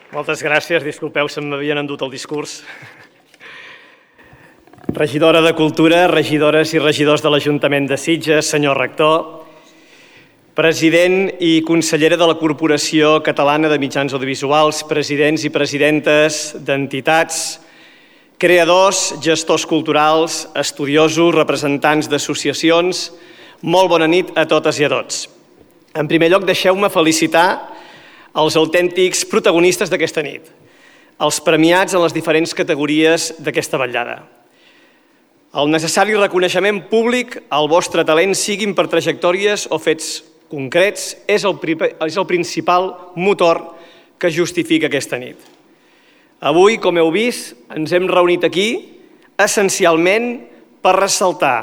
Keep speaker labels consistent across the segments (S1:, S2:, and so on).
S1: Moltes gràcies. Disculpeu, se m'havien endut el discurs. Regidora de Cultura, regidores i regidors de l'Ajuntament de Sitges, senyor rector, president i consellera de la Corporació Catalana de Mitjans Audiovisuals, presidents i presidentes d'entitats, creadors, gestors culturals, estudiosos, representants d'associacions, molt bona nit a totes i a tots. En primer lloc, deixeu-me felicitar els autèntics protagonistes d'aquesta nit, els premiats en les diferents categories d'aquesta vetllada. El necessari reconeixement públic al vostre talent, siguin per trajectòries o fets concrets, és el principal motor que justifica aquesta nit. Avui, com heu vist, ens hem reunit aquí essencialment per ressaltar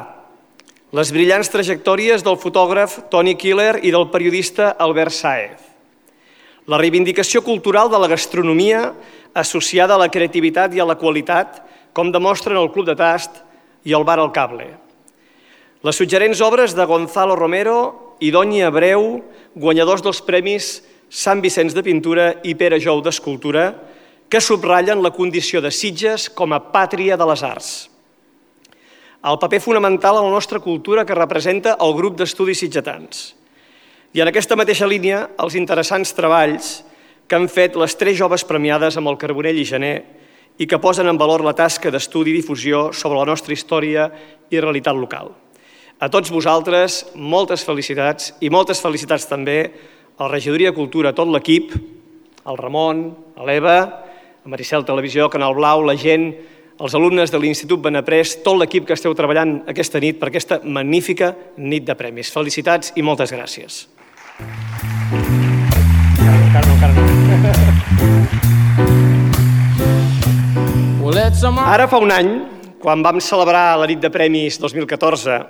S1: les brillants trajectòries del fotògraf Toni Killer i del periodista Albert Sáez, la reivindicació cultural de la gastronomia associada a la creativitat i a la qualitat, com demostren el Club de Tast i el Bar al Cable. Les suggerents obres de Gonzalo Romero i Doni Abreu, guanyadors dels premis Sant Vicenç de Pintura i Pere Jou d'Escultura, que subratllen la condició de Sitges com a pàtria de les arts. El paper fonamental en la nostra cultura que representa el grup d'estudis sitgetans. I en aquesta mateixa línia, els interessants treballs que han fet les 3 joves premiades amb el Carbonell i Gener i que posen en valor la tasca d'estudi i difusió sobre la nostra història i realitat local. A tots vosaltres, moltes felicitats i moltes felicitats també a la Regidoria de Cultura, a tot l'equip, al Ramon, a l'Eva, a Maricel Televisió, Canal Blau, la gent, els alumnes de l'Institut Benaprés, tot l'equip que esteu treballant aquesta nit per aquesta magnífica nit de premis. Felicitats i moltes gràcies. Ara fa un any, quan vam celebrar la nit de premis 2014,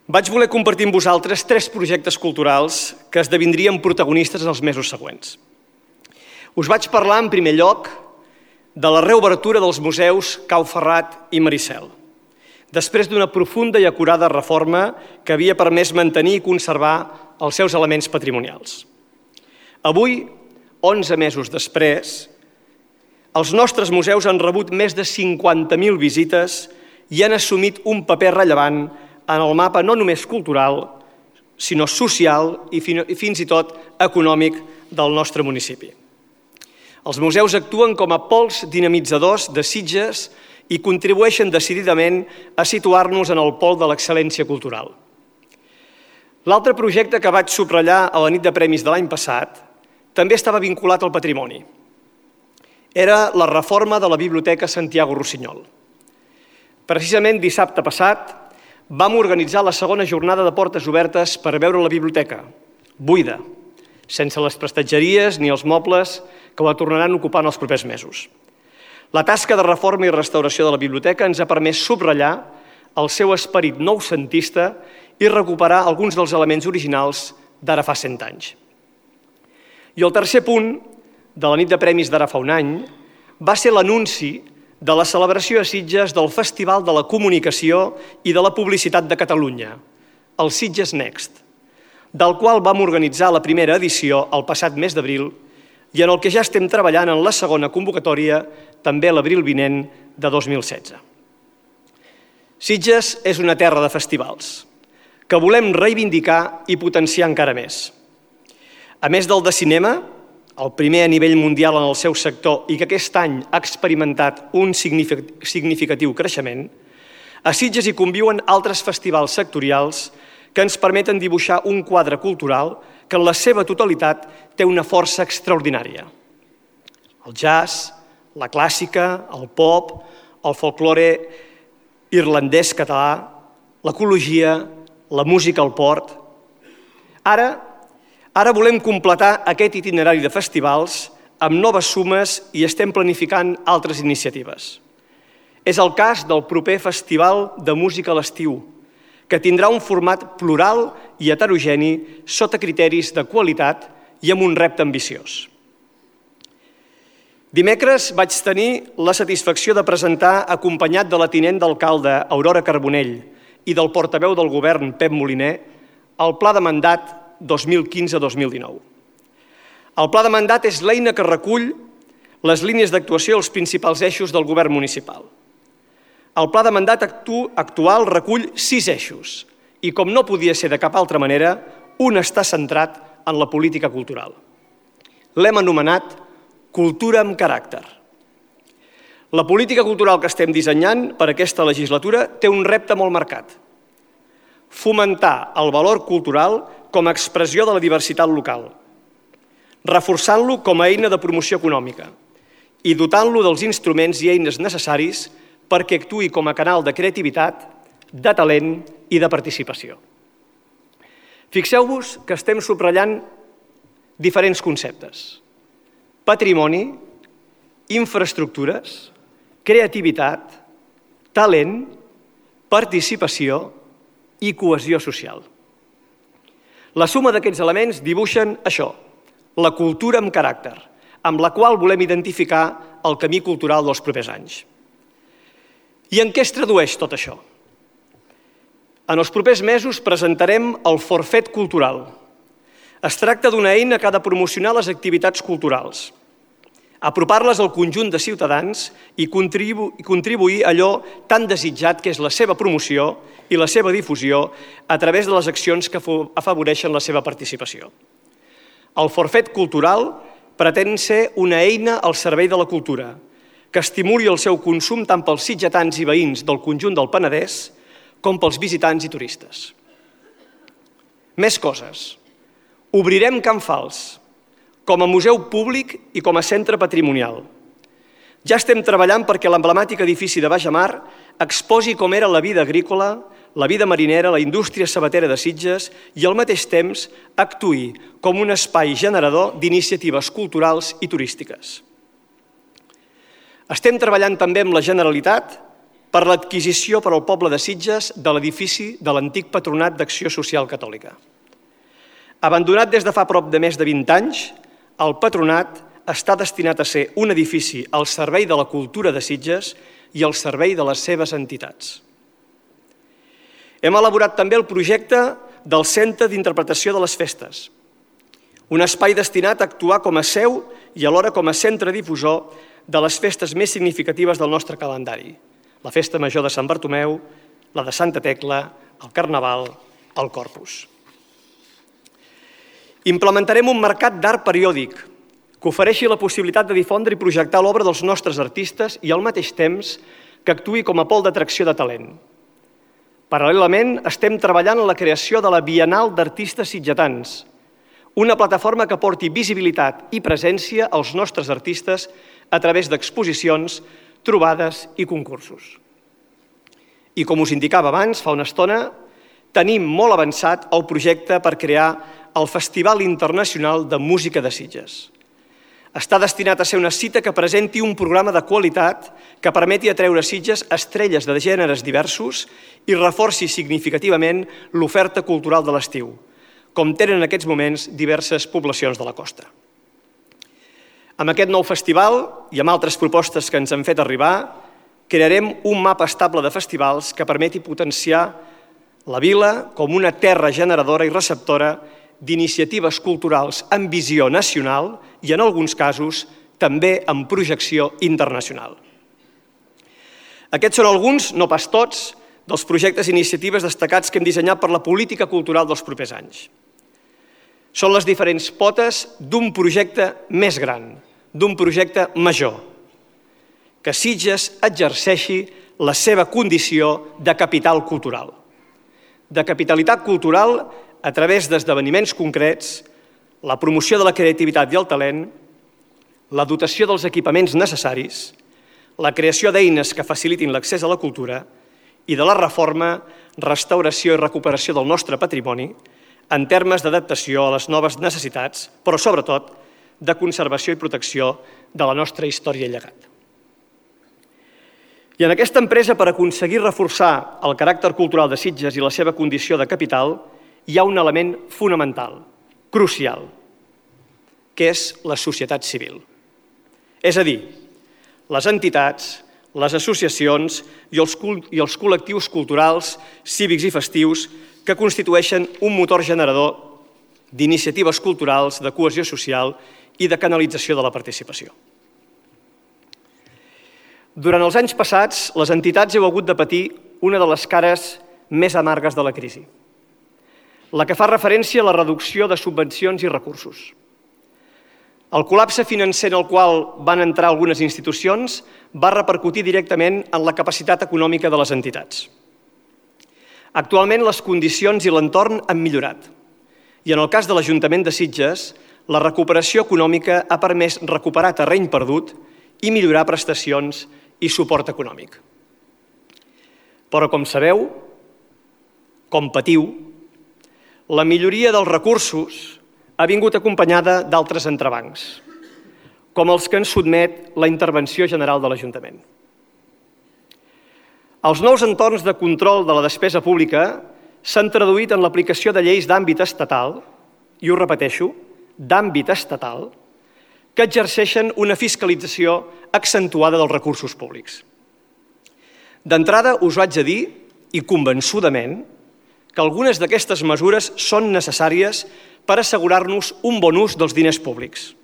S1: vaig voler compartir amb vosaltres 3 projectes culturals que esdevindrien protagonistes els mesos següents. Us vaig parlar, en primer lloc, de la reobertura dels museus Cau Ferrat i Maricel, després d'una profunda i acurada reforma que havia permès mantenir i conservar els seus elements patrimonials. Avui, 11 mesos després, els nostres museus han rebut més de 50.000 visites i han assumit un paper rellevant en el mapa no només cultural, sinó social i fins i tot econòmic del nostre municipi. Els museus actuen com a pols dinamitzadors de Sitges i contribueixen decididament a situar-nos en el pol de l'excel·lència cultural. L'altre projecte que vaig subratllar a la nit de premis de l'any passat també estava vinculat al patrimoni. Era la reforma de la Biblioteca Santiago Rossinyol. Precisament dissabte passat vam organitzar la segona jornada de portes obertes per veure la biblioteca, buida, sense les prestatgeries ni els mobles que la tornaran ocupant els propers mesos. La tasca de reforma i restauració de la biblioteca ens ha permès subratllar el seu esperit noucentista i recuperar alguns dels elements originals d'ara fa 100 anys. I el tercer punt de la nit de premis d'ara fa un any va ser l'anunci de la celebració a Sitges del Festival de la Comunicació i de la Publicitat de Catalunya, el Sitges Next, del qual vam organitzar la primera edició el passat mes d'abril i en el que ja estem treballant en la segona convocatòria també l'abril vinent de 2016. Sitges és una terra de festivals que volem reivindicar i potenciar encara més. A més del de cinema, el primer a nivell mundial en el seu sector i que aquest any ha experimentat un significatiu creixement, a Sitges hi conviuen altres festivals sectorials que ens permeten dibuixar un quadre cultural que en la seva totalitat té una força extraordinària. El jazz, la clàssica, el pop, el folklore irlandès català, l'ecologia, la música al port. Ara volem completar aquest itinerari de festivals amb noves sumes i estem planificant altres iniciatives. És el cas del proper Festival de Música a l'Estiu, que tindrà un format plural i heterogeni sota criteris de qualitat i amb un repte ambiciós. Dimecres vaig tenir la satisfacció de presentar, acompanyat de la tinent d'alcalde Aurora Carbonell i del portaveu del govern Pep Moliner, el Pla de Mandat 2015-2019. El pla de mandat és l'eina que recull les línies d'actuació i els principals eixos del govern municipal. El pla de mandat actual recull 6 eixos i, com no podia ser de cap altra manera, un està centrat en la política cultural. L'hem anomenat Cultura amb caràcter. La política cultural que estem dissenyant per aquesta legislatura té un repte molt marcat: fomentar el valor cultural com a expressió de la diversitat local, reforçant-lo com a eina de promoció econòmica i dotant-lo dels instruments i eines necessaris perquè actuï com a canal de creativitat, de talent i de participació. Fixeu-vos que estem subratllant diferents conceptes: patrimoni, infraestructures, creativitat, talent, participació i cohesió social. La suma d'aquests elements dibuixen això, la cultura amb caràcter, amb la qual volem identificar el camí cultural dels propers anys. I en què es tradueix tot això? En els propers mesos presentarem el forfet cultural. Es tracta d'una eina que ha de promocionar les activitats culturals, apropar-les al conjunt de ciutadans i contribuir a allò tan desitjat que és la seva promoció i la seva difusió a través de les accions que afavoreixen la seva participació. El forfet cultural pretén ser una eina al servei de la cultura, que estimuli el seu consum tant pels sitgetans i veïns del conjunt del Penedès com pels visitants i turistes. Més coses. Obrirem Can Fals com a museu públic i com a centre patrimonial. Ja estem treballant perquè l'emblemàtic edifici de Bajamar exposi com era la vida agrícola, la vida marinera, la indústria sabatera de Sitges i al mateix temps actuï com un espai generador d'iniciatives culturals i turístiques. Estem treballant també amb la Generalitat per l'adquisició per al poble de Sitges de l'edifici de l'antic Patronat d'Acció Social Catòlica. Abandonat des de fa prop de més de 20 anys, el Patronat està destinat a ser un edifici al servei de la cultura de Sitges i al servei de les seves entitats. Hem elaborat també el projecte del Centre d'Interpretació de les Festes, un espai destinat a actuar com a seu i alhora com a centre difusor de les festes més significatives del nostre calendari: la Festa Major de Sant Bartomeu, la de Santa Tecla, el Carnaval, el Corpus. Implementarem un mercat d'art periòdic que ofereixi la possibilitat de difondre i projectar l'obra dels nostres artistes i al mateix temps que actuï com a pol d'atracció de talent. Paral·lelament, estem treballant en la creació de la Bienal d'Artistes Sitgetans, una plataforma que porti visibilitat i presència als nostres artistes a través d'exposicions, trobades i concursos. I com us indicava abans, fa una estona, tenim molt avançat el projecte per crear el Festival Internacional de Música de Sitges. Està destinat a ser una cita que presenti un programa de qualitat que permeti atreure a Sitges estrelles de gèneres diversos i reforci significativament l'oferta cultural de l'estiu, com tenen en aquests moments diverses poblacions de la costa. Amb aquest nou festival i amb altres propostes que ens han fet arribar, crearem un mapa estable de festivals que permeti potenciar la vila com una terra generadora i receptora d'iniciatives culturals amb visió nacional i, en alguns casos, també amb projecció internacional. Aquests són alguns, no pas tots, dels projectes i iniciatives destacats que hem dissenyat per la política cultural dels propers anys. Són les diferents potes d'un projecte més gran, d'un projecte major, que Sitges exerceixi la seva condició de capital cultural. De capitalitat cultural a través d'esdeveniments concrets, la promoció de la creativitat i el talent, la dotació dels equipaments necessaris, la creació d'eines que facilitin l'accés a la cultura i de la reforma, restauració i recuperació del nostre patrimoni en termes d'adaptació a les noves necessitats, però sobretot de conservació i protecció de la nostra història i llegat. I en aquesta empresa, per aconseguir reforçar el caràcter cultural de Sitges i la seva condició de capital, hi ha un element fonamental, crucial, que és la societat civil. És a dir, les entitats, les associacions i els col·lectius culturals, cívics i festius que constitueixen un motor generador d'iniciatives culturals, de cohesió social i de canalització de la participació. Durant els anys passats, les entitats heu hagut de patir una de les cares més amargues de la crisi, la que fa referència a la reducció de subvencions i recursos. El col·lapse financer en el qual van entrar algunes institucions va repercutir directament en la capacitat econòmica de les entitats. Actualment, les condicions i l'entorn han millorat i en el cas de l'Ajuntament de Sitges, la recuperació econòmica ha permès recuperar terreny perdut i millorar prestacions i suport econòmic. Però, com sabeu, com patiu, la milloria dels recursos ha vingut acompanyada d'altres entrebancs, com els que ens sotmet la intervenció general de l'Ajuntament. Els nous entorns de control de la despesa pública s'han traduït en l'aplicació de lleis d'àmbit estatal, i ho repeteixo, d'àmbit estatal, que exerceixen una fiscalització accentuada dels recursos públics. D'entrada, us haig de dir, i convençudament, que algunes d'aquestes mesures són necessàries per assegurar-nos un bon ús dels diners públics,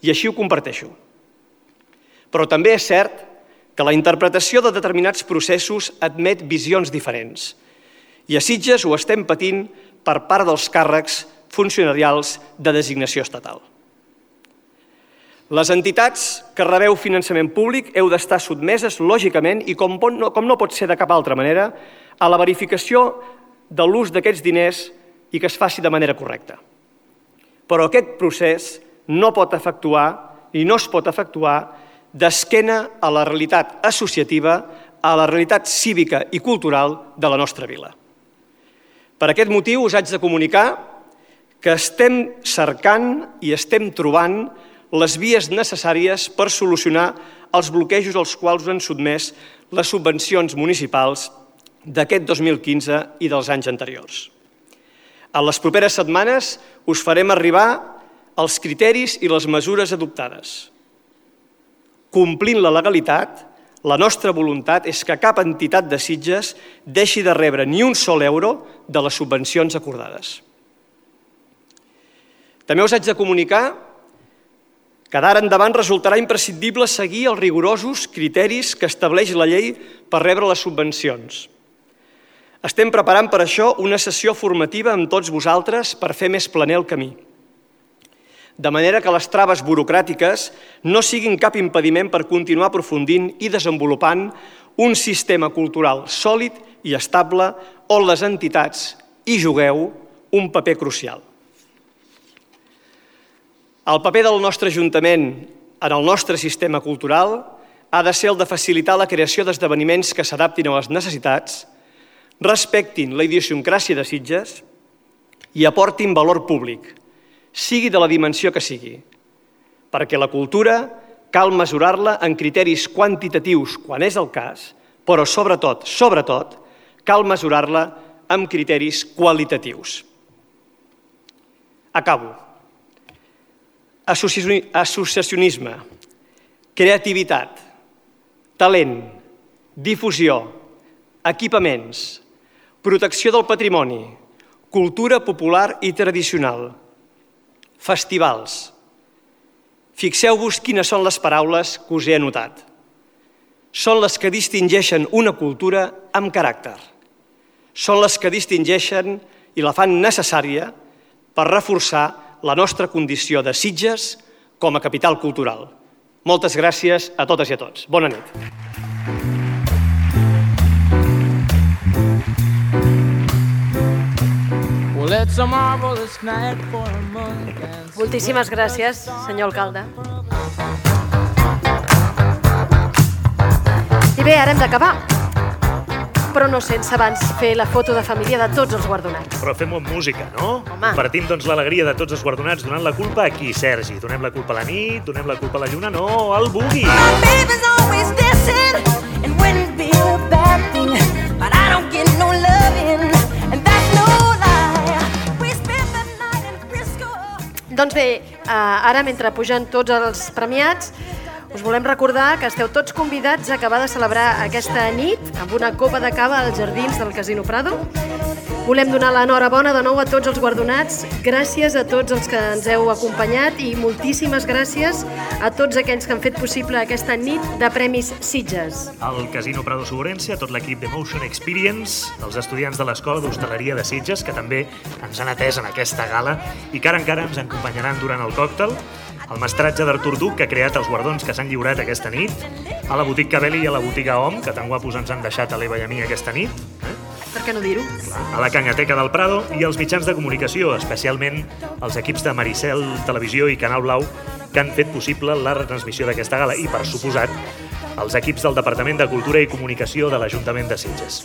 S1: i així ho comparteixo. Però també és cert que la interpretació de determinats processos admet visions diferents, i a Sitges ho estem patint per part dels càrrecs funcionarials de designació estatal. Les entitats que rebeu finançament públic heu d'estar sotmeses, lògicament, i com no pot ser de cap altra manera, a la verificació de l'ús d'aquests diners i que es faci de manera correcta. Però aquest procés no pot efectuar i no es pot efectuar d'esquena a la realitat associativa, a la realitat cívica i cultural de la nostra vila. Per aquest motiu us haig de comunicar que estem cercant i estem trobant les vies necessàries per solucionar els bloquejos als quals han sotmès les subvencions municipals d'aquest 2015 i dels anys anteriors. En les properes setmanes us farem arribar els criteris i les mesures adoptades. Complint la legalitat, la nostra voluntat és que cap entitat de Sitges deixi de rebre ni un sol euro de les subvencions acordades. També us haig de comunicar que d'ara endavant resultarà imprescindible seguir els rigorosos criteris que estableix la llei per rebre les subvencions. Estem preparant per això una sessió formativa amb tots vosaltres per fer més planer el camí, de manera que les traves burocràtiques no siguin cap impediment per continuar aprofundint i desenvolupant un sistema cultural sòlid i estable on les entitats hi jugueu un paper crucial. El paper del nostre Ajuntament en el nostre sistema cultural ha de ser el de facilitar la creació d'esdeveniments que s'adaptin a les necessitats, respectin la idiosincràsia de Sitges i aportin valor públic, sigui de la dimensió que sigui, perquè la cultura cal mesurar-la en criteris quantitatius quan és el cas, però sobretot, cal mesurar-la amb criteris qualitatius. Acabo. Associacionisme, creativitat, talent, difusió, equipaments, protecció del patrimoni, cultura popular i tradicional, festivals. Fixeu-vos quines són les paraules que us he anotat. Són les que distingeixen una cultura amb caràcter. Són les que distingeixen i la fan necessària per reforçar la nostra condició de Sitges com a capital cultural. Moltes gràcies a totes i a tots. Bona nit.
S2: Moltíssimes gràcies, senyor alcalde. I bé, ara hem d'acabar, però no sense abans fer la foto de família de tots els guardonats.
S3: Però fem-ho amb música, no?
S2: Home.
S3: Compartim, doncs, l'alegria de tots els guardonats donant la culpa a qui, Sergi? Donem la culpa a la nit? Donem la culpa a la lluna? No, al boogie!
S4: My baby's always dancing and wouldn't be a bad thing, but I don't get no loving, and that's no lie. We spent the night in Frisco.
S2: Doncs bé, ara mentre pugen tots els premiats, us volem recordar que esteu tots convidats a acabar de celebrar aquesta nit amb una copa de cava als jardins del Casino Prado. Volem donar l'enhorabona de nou a tots els guardonats. Gràcies a tots els que ens heu acompanyat i moltíssimes gràcies a tots aquells que han fet possible aquesta nit de Premis Sitges.
S3: Al Casino Prado Suborència, tot l'equip de Motion Experience, els estudiants de l'Escola d'Hostaleria de Sitges, que també ens han atès en aquesta gala i que ara encara ens acompanyaran durant el còctel, el mestratge d'Artur Duc, que ha creat els guardons que s'han lliurat aquesta nit, a la botiga Cabelli i a la botiga Om, que tan guapos ens han deixat a l'Eva i a mi aquesta nit,
S2: Per què no dir-ho?
S3: a la Cangateca del Prado i als mitjans de comunicació, especialment els equips de Maricel Televisió i Canal Blau, que han fet possible la retransmissió d'aquesta gala i, per suposat, els equips del Departament de Cultura i Comunicació de l'Ajuntament de Sitges.